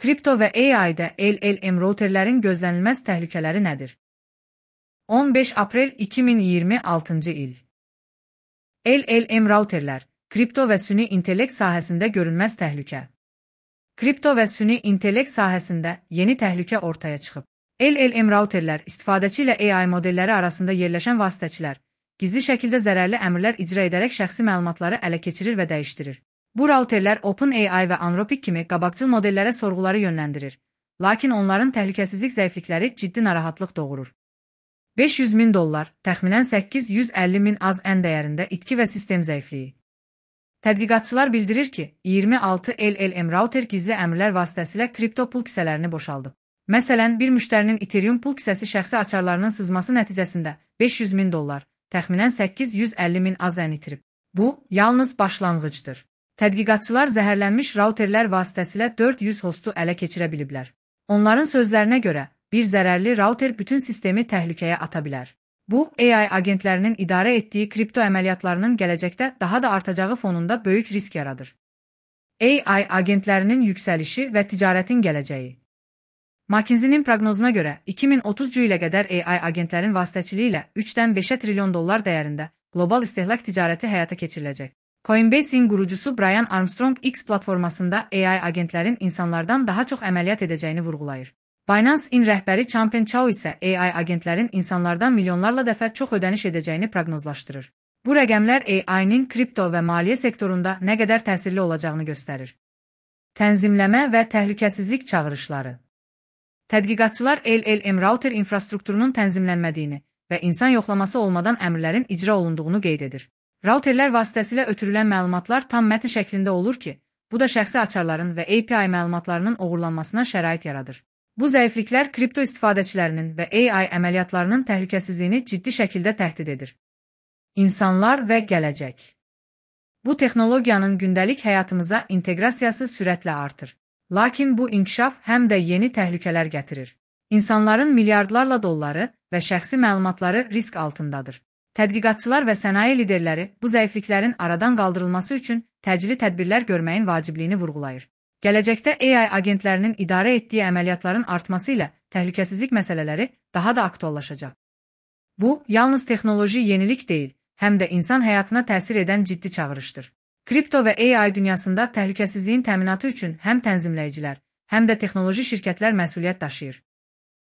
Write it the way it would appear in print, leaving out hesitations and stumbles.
Kripto və AI-də LLM routerlərin gözlənilməz təhlükələri nədir? 15 aprel 2026-cı il. LLM routerlər, kripto və süni intellekt sahəsində görünməz təhlükə. Kripto və süni intellekt sahəsində yeni təhlükə ortaya çıxıb. LLM routerlər istifadəçi ilə AI modelləri arasında yerləşən vasitəçilər, gizli şəkildə zərərli əmrlər icra edərək şəxsi məlumatları ələ keçirir və dəyişdirir. Bu routerlər OpenAI və Anthropic kimi qabaqcıl modellərə sorğuları yönləndirir, lakin onların təhlükəsizlik zəiflikləri ciddi narahatlıq doğurur. $500.000, təxminən 850.000 az ən dəyərində itki və sistem zəifliyi. Tədqiqatçılar bildirir ki, 26 LLM router gizli əmrlər vasitəsilə kripto pul kisələrini boşaldıb. Məsələn, bir müştərinin Ethereum pul kisəsi şəxsi açarlarının sızması nəticəsində $500.000, təxminən 850.000 az ən itirib. Bu, yalnız başlanğıcdır. Tədqiqatçılar zəhərlənmiş routerlər vasitəsilə 400 hostu ələ keçirə biliblər. Onların sözlərinə görə, bir zərərli router bütün sistemi təhlükəyə ata bilər. Bu, AI agentlərinin idarə etdiyi kripto əməliyyatlarının gələcəkdə daha da artacağı fonunda böyük risk yaradır. AI agentlərinin yüksəlişi və ticarətin gələcəyi. McKinsey-nin proqnozuna görə 2030-cu ilə qədər AI agentlərin vasitəçiliyi ilə 3-dən 5 trilyon dollar dəyərində qlobal istehlak ticarəti həyata keçiriləcək. Coinbase-in qurucusu Brian Armstrong X platformasında AI agentlərin insanlardan daha çox əməliyyat edəcəyini vurğulayır. Binance-in rəhbəri Changpeng Zhao isə AI agentlərin insanlardan milyonlarla dəfə çox ödəniş edəcəyini proqnozlaşdırır. Bu rəqəmlər AI-nin kripto və maliyyə sektorunda nə qədər təsirli olacağını göstərir. Tənzimləmə və təhlükəsizlik çağırışları. Tədqiqatçılar LLM router infrastrukturunun tənzimlənmədiyini və insan yoxlaması olmadan əmrlərin icra olunduğunu qeyd edir. Routerlər vasitəsilə ötürülən məlumatlar tam mətn şəklində olur ki, bu da şəxsi açarların və API məlumatlarının oğurlanmasına şərait yaradır. Bu zəifliklər kripto istifadəçilərinin və AI əməliyyatlarının təhlükəsizliyini ciddi şəkildə təhdid edir. İnsanlar və gələcək. Bu texnologiyanın gündəlik həyatımıza inteqrasiyası sürətlə artır. Lakin bu inkişaf həm də yeni təhlükələr gətirir. İnsanların milyardlarla dolları və şəxsi məlumatları risk altındadır. Tədqiqatçılar və sənaye liderləri bu zəifliklərin aradan qaldırılması üçün təcili tədbirlər görməyin vacibliyini vurğulayır. Gələcəkdə AI agentlərinin idarə etdiyi əməliyyatların artması ilə təhlükəsizlik məsələləri daha da aktuallaşacaq. Bu, yalnız texnoloji yenilik deyil, həm də insan həyatına təsir edən ciddi çağırışdır. Kripto və AI dünyasında təhlükəsizliyin təminatı üçün həm tənzimləyicilər, həm də texnoloji şirkətlər məsuliyyət daşıyır.